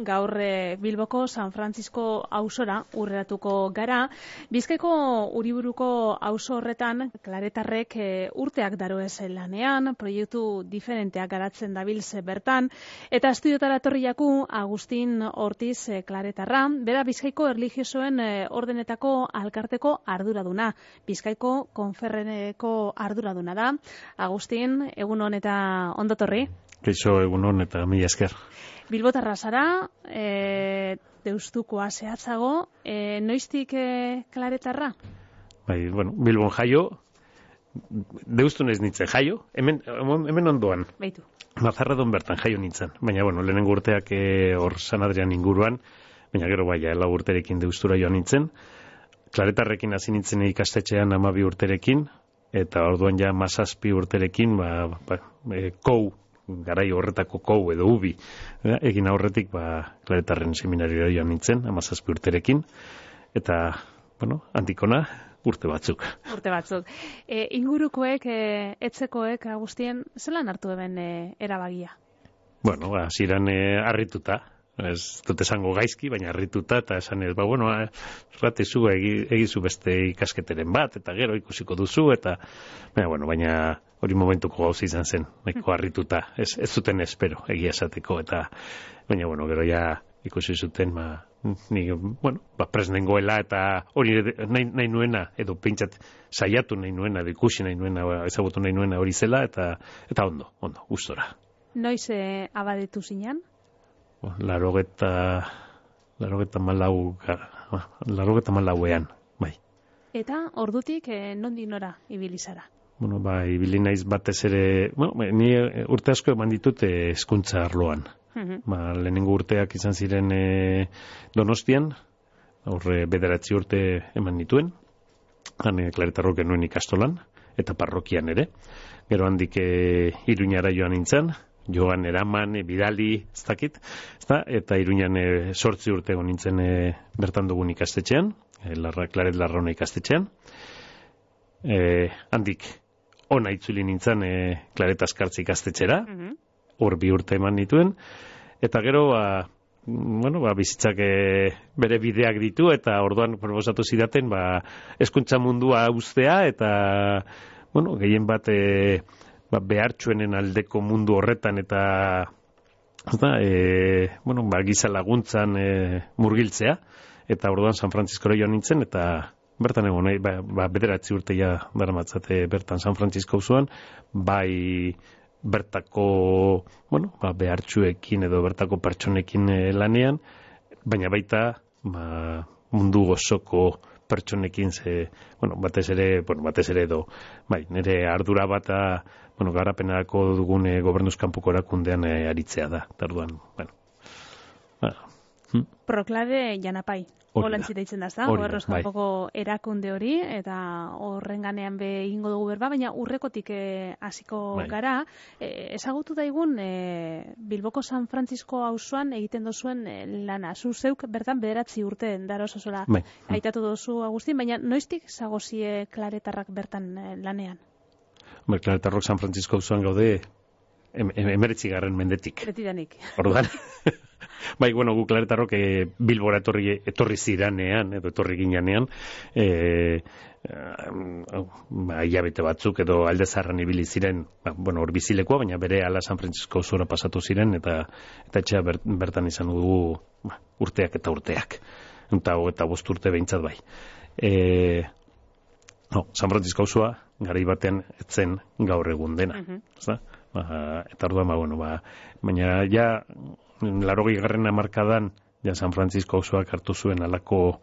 gaur Bilboko San Francisco auzora urreratuko gara. Bizkaiko Uriburuko auzo horretan klaretarrek urteak daroez lanean, proiektu diferenteak garatzen dabilz bertan, eta estudiotara etorri jaku Agustin Ortiz klaretarra, bera Bizkaiko erlijiosoen ordenetako alkarteko arduraduna, Bizkaiko konferreneko arduraduna da. Agustin, egunon eta ondotorri. Kaixo, egunon eta mila esker. Bilbotarra zara, deustukoa zehatzago, noiztik klaretarra? Bai, bueno, Bilbon jaio, deustun ez nintzen jaio, hemen ondoan. Baitu. Mazarredon bertan jaio nintzen, baina, bueno, lehenengo urteak hor San Adrian inguruan, baina gero bai, 4 urterekin deustura joan nintzen. Klaretarrekin hasi nintzen ikastetxean 12 urterekin, eta orduan ja 17 urterekin, kou, garai horretako kou edo ubi, egin aurretik klaretarren seminarioa joan nintzen, 17 urterekin, eta, bueno, handikona urte batzuk. Urte batzuk. Ingurukoek, etzekoek, Agustien, zelan hartu eben erabagia? Bueno, hasieran harrituta, ez dut esango gaizki, baina harrituta, eta esan ez, zu egizu beste ikasketeren bat, eta gero ikusiko duzu, eta, baina hori momentuko gauza izan zen, nahiko harrituta, ez zuten espero, egia esateko, eta, baina, gero ja ikusi zuten, presnengoela, eta hori nahi nuena, edo pentsat saiatu nahi nuena, edo ikusi nahi nuena, ezagutu nahi nuena hori zela, eta ondo, gustora. Noiz abadetu zinan? 84ean, bai. Eta ordutik nondik nora ibili zara? Ibili naiz batez ere, ni urte asko eman ditut hezkuntza arloan. Lehenengo urteak izan ziren Donostian, horre 9 urte eman dituen, klaretarrok genuen ikastolan, eta parrokian ere. Gero handik Iruñara joan nintzen, joan eraman, bidali, ez dakit, eta Iruñan 8 urte egon nintzen bertan dugun ikastetxean, Klaret Larrauna ikastetxean. Handik ona itzuli nintzen Klaret Askartze ikastetxera, hor 2 urte eman nituen, eta gero, bizitzak bere bideak ditu, eta orduan proposatu zidaten, hezkuntza mundua uztea, eta, gehien bat, behartsuenen aldeko mundu horretan eta giza laguntzan murgiltzea, eta orduan San Franciscora joan nintzen, eta bertan egon, 9 urte ja daramatzate bertan San Francisco auzoan, bai bertako behartsuekin edo bertako pertsonekin lanean, baina baita mundu gozoko pertsonekin batez ere edo, nire ardura bata garapenako dugun gobernuzkanpoko erakundean aritzea da, tarduan, Proklade Janapai, holantzita itzen da, horrezkanpoko erakunde hori, eta horren ganean egingo dugu berba, baina urrekotik hasiko gara, ezagutu daigun Bilboko San Francisco auzoan egiten dozuen lana, zu zeuk bertan 9 urte dara osozola aitatu dozu, Agustin, baina noiztik zagozie klaretarrak bertan lanean? Klaretarrok San Francisco auzoan gaude 19. mendetik. Betidanik. Orduan. Gu klaretarrok Bilbora etorri ziranean, edo etorri ginean, hilabete batzuk edo alde zaharran ibili ziren, hor bizilekoa, baina bere ala San Francisco auzora pasatu ziren, eta etxea bertan izan dugu urteak eta urteak. Eta 5 urte behintzat bai. San Francisco auzoa garai batean etzen gaur egun dena. Eta orduan, baina ja 80. hamarkadan San Francisco auzoak hartu zuen alako,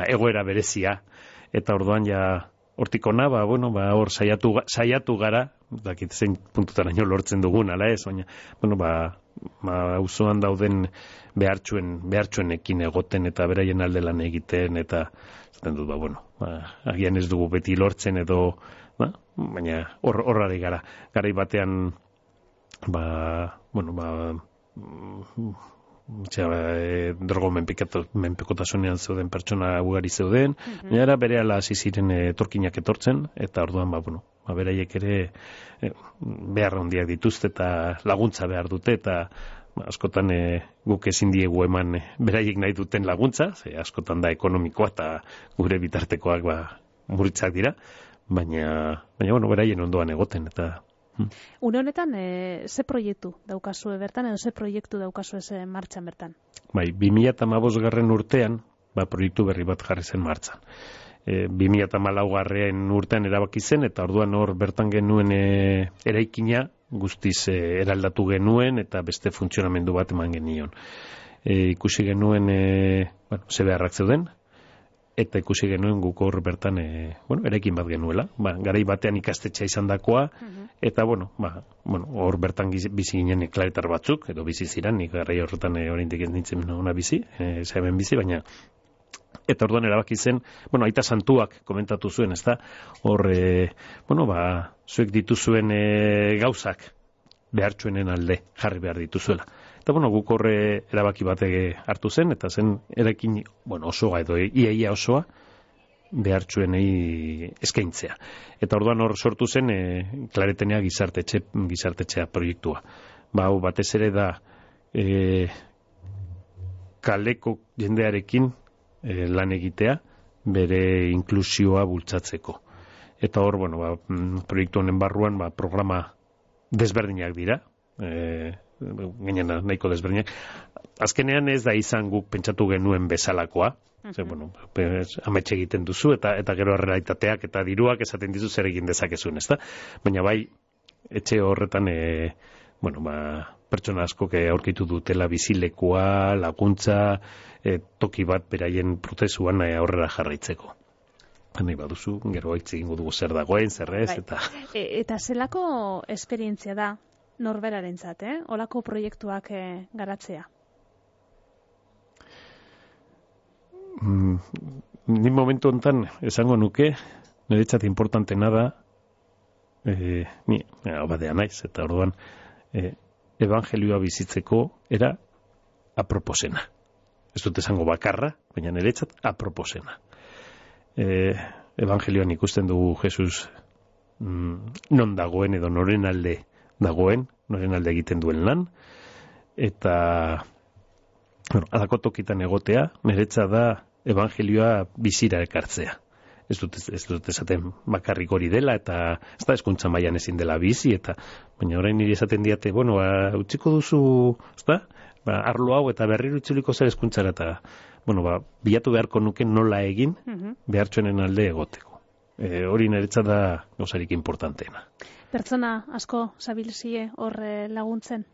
egoera berezia, eta orduan ja hortik ona, hor saiatu gara, dakit zein puntutaraino lortzen dugun, ala ez, baina, auzoan dauden behartsuenekin egoten eta beraien alde lan egiten, eta zaten dut, agian ez dugu beti lortzen edo, baina horrari gara. Garai batean, drogo menpekotasunean zeuden pertsona ugari zeuden, baina berehala hasi ziren etorkinak etortzen, eta orduan beraiek ere behar handiak dituzte eta laguntza behar dute, eta askotan guk ezin diegu eman beraiek nahi duten laguntza, ze askotan da ekonomikoa eta gure bitartekoak muritzak dira, baina bueno, beraien ondoan egoten, eta... Une honetan, ze proiektu daukazue bertan, edo ze proiektu daukazue martxan bertan? Bai, 2015 urtean, proiektu berri bat jarri zen martxan. 2014 urtean erabaki zen, eta orduan hor bertan genuen eraikina guztiz eraldatu genuen, eta beste funtzionamendu bat eman genion. Ikusi genuen, ze beharrak zeuden, eta ikusi genuen guk hor bertan eraikin bat genuela. Garai batean ikastetxea izan dakoa, eta hor bertan bizi ginen klaretar batzuk, edo bizi ziren, nik garai horretan oraindik ez nintzen ona bizi, hemen bizi, baina eta orduan erabaki zen, aita santuak komentatu zuen, ezta? Hor, zuek dituzuen gauzak behartsuenen alde jarri behar dituzuela. Eta guk horre erabaki bat hartu zen, eta zen erakin osoa edo iaia osoa behartsuenei eskaintzea. Eta orduan hor sortu zen Klaretenea gizartetxea proiektua. Hau batez ere da kaleko jendearekin lan egitea bere inklusioa bultzatzeko. Eta hor, proiektu honen barruan programa desberdinak dira, gainera nahiko desberdinak. Azkenean ez da izan guk pentsatu genuen bezalakoa, amets egiten duzu, eta gero errealitateak eta diruak esaten dizu zer egin dezakezun, ezta? Baina bai, etxe horretan, pertsona askok aurkitu dutela bizilekua, laguntza, toki bat beraien prozesuan aurrera jarraitzeko. Nahi baduzu, gero haitz egingo dugu zer dagoen, zer ez, eta... Eta zelako esperientzia da norberarentzat, olako proiektuak garatzea? Ni momentu honetan esango nuke, niretzat importantena da, ni abadea naiz, eta orduan, evangelioa bizitzeko era aproposena. Ez dut esango bakarra, baina niretzat aproposena. Evangelioan ikusten dugu Jesus non dagoen edo noren alde dagoen, noren alde egiten duen lan, eta alako tokitan egotea, niretzat da evangelioa bizira ekartzea. Ez dut esaten bakarrik hori dela, eta ez da hezkuntza mailan ezin dela bizi, eta baina orain niri esaten diate, utziko duzu, ez da? Arlo hau eta berriro itzuliko zer hezkuntzara, eta bilatu beharko nuke nola egin behartsuenen alde egoteko. Hori niretzat da gauzarik importanteena. Pertsona asko zabilzie hor laguntzen?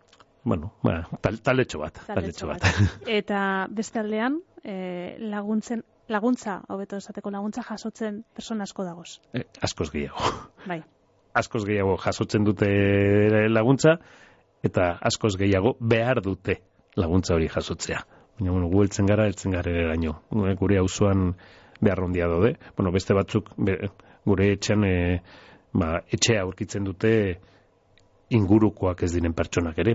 Taletxo bat. Eta beste aldean, laguntza, hobeto esateko laguntza jasotzen persona asko dagoz? Askoz gehiago. Bai. Askoz gehiago jasotzen dute laguntza, eta askoz gehiago behar dute laguntza hori jasotzea. Baina, gu heltzen gara eraino. Gure auzoan behar handia daude. Beste batzuk, gure etxean, etxea aurkitzen dute ingurukoak ez diren pertsonak ere,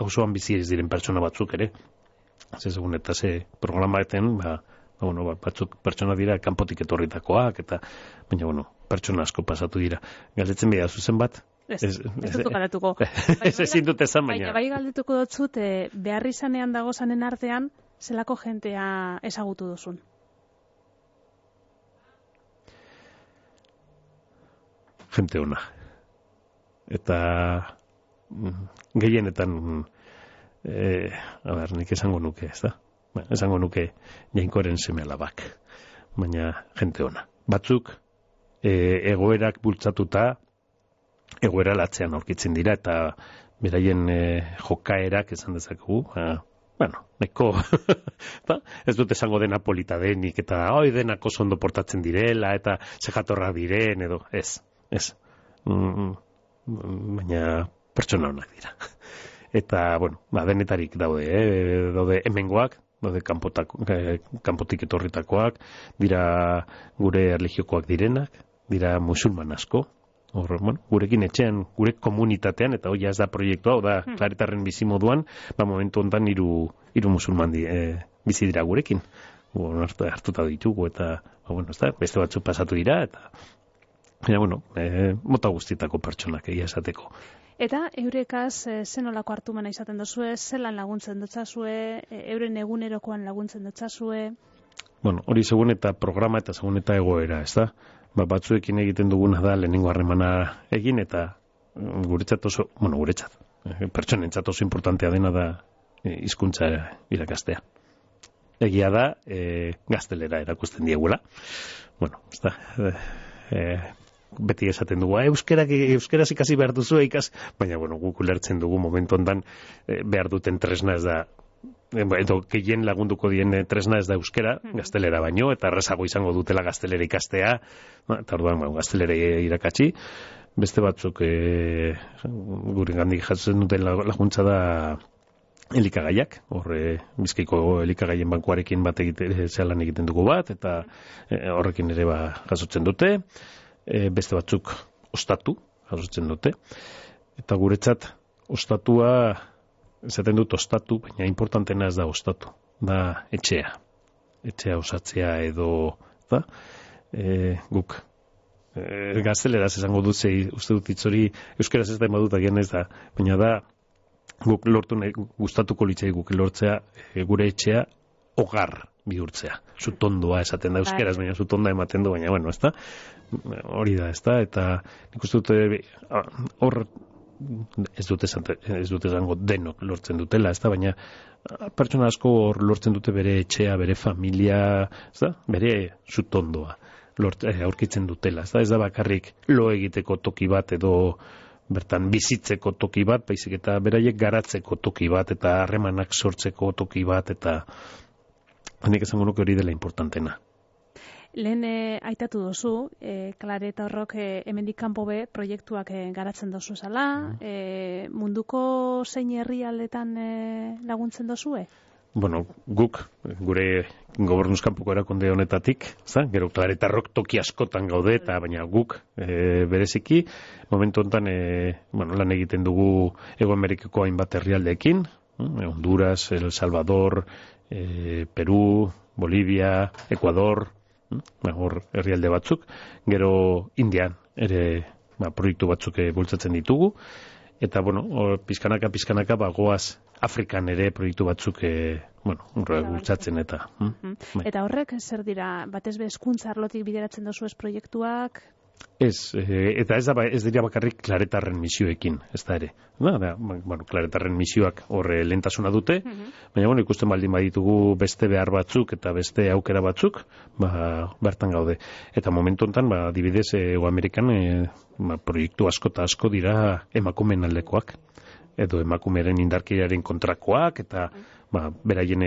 auzoan bizi ez diren pertsona batzuk ere. Segun eta ze programaeten, batzuk pertsona dira kanpotik etorritakoak, eta, baina, pertsona asko pasatu dira. Galdetzen behar zuzen bat? Ez dut galdetuko. Ez ezin dut ezan, baina. Bai galdetuko dutzut, behar izanean dagozanen artean, zelako jentea ezagutu duzun? Jente ona. Eta gehienetan, nik esango nuke, ez da? Esango nuke Jainkoren seme alabak. Baina jente ona. Batzuk, egoerak bultzatuta, egoera latzean aurkitzen dira, eta beraien jokaerak esan dezakegu, neko, ez dut esango dena polita denik, eta denak oso ondo portatzen direla, eta sejatorra diren, edo, ez. Baina pertsona honak dira. Eta, denetarik daude hemengoak, daude kanpotik etorritakoak, dira gure erlijiokoak direnak, dira musulman asko, gurekin etxean, gure komunitatean, eta hori ez da proiektua, hau da, Klaretarren bizimoduan, momentu honetan hiru musulman bizi dira gurekin. Hartuta ditugu, eta, beste batzuk pasatu dira, eta, mota guztietako pertsonak egia esateko. Eta eurekaz zenolako hartumana izaten dozue, zelan laguntzen dotzazue, euren egunerokoan laguntzen dotzazue? Bueno, hori segun eta programa eta segun eta egoera, ez da? Batzuekin egiten duguna da lehenengo harremana egin eta guretzat oso, guretzat, pertsonentzat oso importantea dena da hizkuntza irakastea. Egia da, gaztelera erakusten diegula. Bueno, ez da, beti esaten dugu, euskeraz ikasi behar duzu baina, guk ulertzen dugu momentu ondan behar duten tresna ez da, edo gehien lagunduko dien tresna ez da euskera, gaztelera baino, eta errazago izango dutela gaztelera ikastea, eta orduan, gaztelera irakatsi, beste batzuk gure gandik jatzen duten laguntza da elikagaiak, Bizkaiko elikagaien bankuarekin bat zelan egiten dugu bat, eta horrekin ere jasotzen dute, beste batzuk ostatu jasotzen dute, eta guretzat ostatua, esaten dut ostatu, baina importantena ez da ostatu, da etxea osatzea edo, da, guk gazteleraz esango dut uste dut itzori, euskeraz ez da emadut agian ez da, baina da, guk lortu nahi, gustatuko litzai guk lortzea, gure etxea hogar bihurtzea. Zutondoa esaten da euskeraz, baina zutonda ematen du, baina, ez da, hori da, ez da, eta nik uste dute, hor, ez dute esango denok lortzen dutela, ez da, baina pertsona asko hor lortzen dute bere etxea, bere familia, ez da, bere zutondoa aurkitzen dutela, ez da bakarrik lo egiteko toki bat edo bertan bizitzeko toki bat, baizik eta beraiek garatzeko toki bat eta harremanak sortzeko toki bat eta nik esango nuke hori dela importantena. Lehen aitatu dozu, Klare eta Horrok hemendik kanpo be proiektuak garatzen dozu zala, munduko zein herrialdetan laguntzen dozue? Guk, gure gobernuzkanpoko erakunde honetatik, gero Klare eta Horrok toki askotan gaude, eta baina guk bereziki, momentu honetan lan egiten dugu Hego Amerikako hainbat herrialdeekin, Honduras, El Salvador, Peru, Bolivia, Ecuador, hor herrialde batzuk, gero Indian ere proiektu batzuk bultzatzen ditugu, eta pizkanaka goaz Afrikan ere proiektu batzuk bultzatzen eta. Eta horrek zer dira, batez be hezkuntza arlotik bideratzen dozu ez proiektuak? Ez, eta ez dira bakarrik Klaretarren misioekin, ez da ere. Klaretarren misioak horre lehentasuna dute, baina ikusten baldin baditugu beste behar batzuk eta beste aukera batzuk, bertan gaude. Eta momentu honetan, adibidez, Hego Amerikan proiektu asko eta asko dira emakumeen aldekoak, edo emakumeren indarkeriaren kontrakoak, eta beraien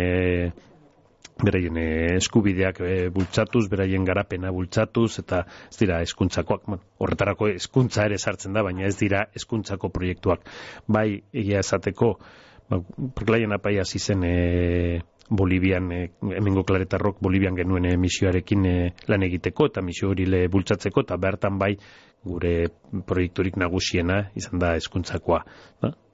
eskubideak bultzatuz, beraien garapena bultzatuz, eta ez dira hezkuntzakoak, horretarako hezkuntza ere sartzen da, baina ez dira hezkuntzako proiektuak. Bai, egia esateko, Klaien apai hasi zen Bolivian, hemengo Klaretarrok Bolivian genuen misioarekin lan egiteko, eta misio hori bultzatzeko, eta bertan bai gure proiekturik nagusiena izan da hezkuntzakoa.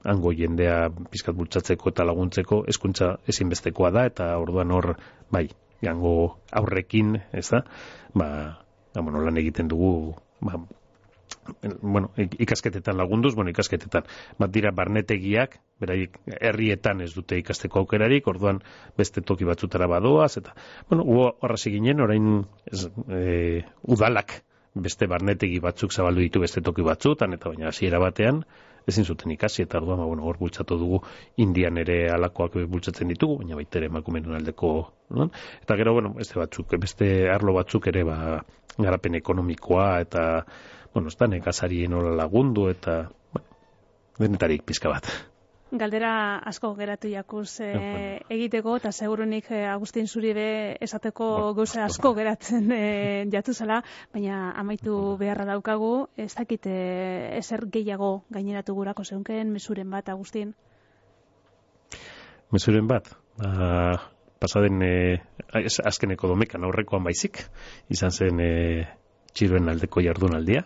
Hango jendea pizkat bultzatzeko eta laguntzeko hezkuntza ezinbestekoa da, eta orduan hor, bai, hango aurrekin, ez da, lan egiten dugu, ikasketetan lagunduz, ikasketetan, dira barnetegiak, beraiek herrietan ez dute ikasteko aukerarik, orduan beste toki batzutara badoaz, eta, horrazi ginen, orain udalak beste barnetegi batzuk zabaldu ditu beste toki batzutan, eta baina hasiera batean ezin zuten ikasi, eta orduan, hor bultzatu dugu Indian ere alakoak bultzatzen ditugu, baina baita ere emakumeen aldeko, eta gero, beste batzuk, beste arlo batzuk ere, garapen ekonomikoa, eta, ez da, nekazarien hola lagundu, eta, denetarik pizka bat. Galdera asko geratu jakuz egiteko, eta segurunik Agustin zuri be esateko gauza asko geratzen jatu zela, baina amaitu beharra daukagu, ez dakit ezer gehiago gaineratu gurako zeunken, mezuren bat, Agustin? Mezuren bat? Pasaden azkeneko domekan aurrekoan baizik, izan zen txiroen aldeko jardunaldia,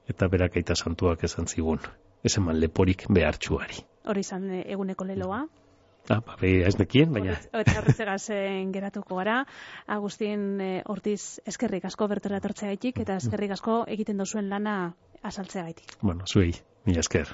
eta berak aita santuak esan zigun, ez eman leporik behartxuari. Hori izan eguneko leloa. Ez nekien, baina... Eta horretzegaz geratuko gara. Agustin Ortiz, eskerrik asko bertora etortzea gaitik, eta eskerrik asko egiten dozuen lana azaltzeagaitik. Bueno, zuei, mila esker.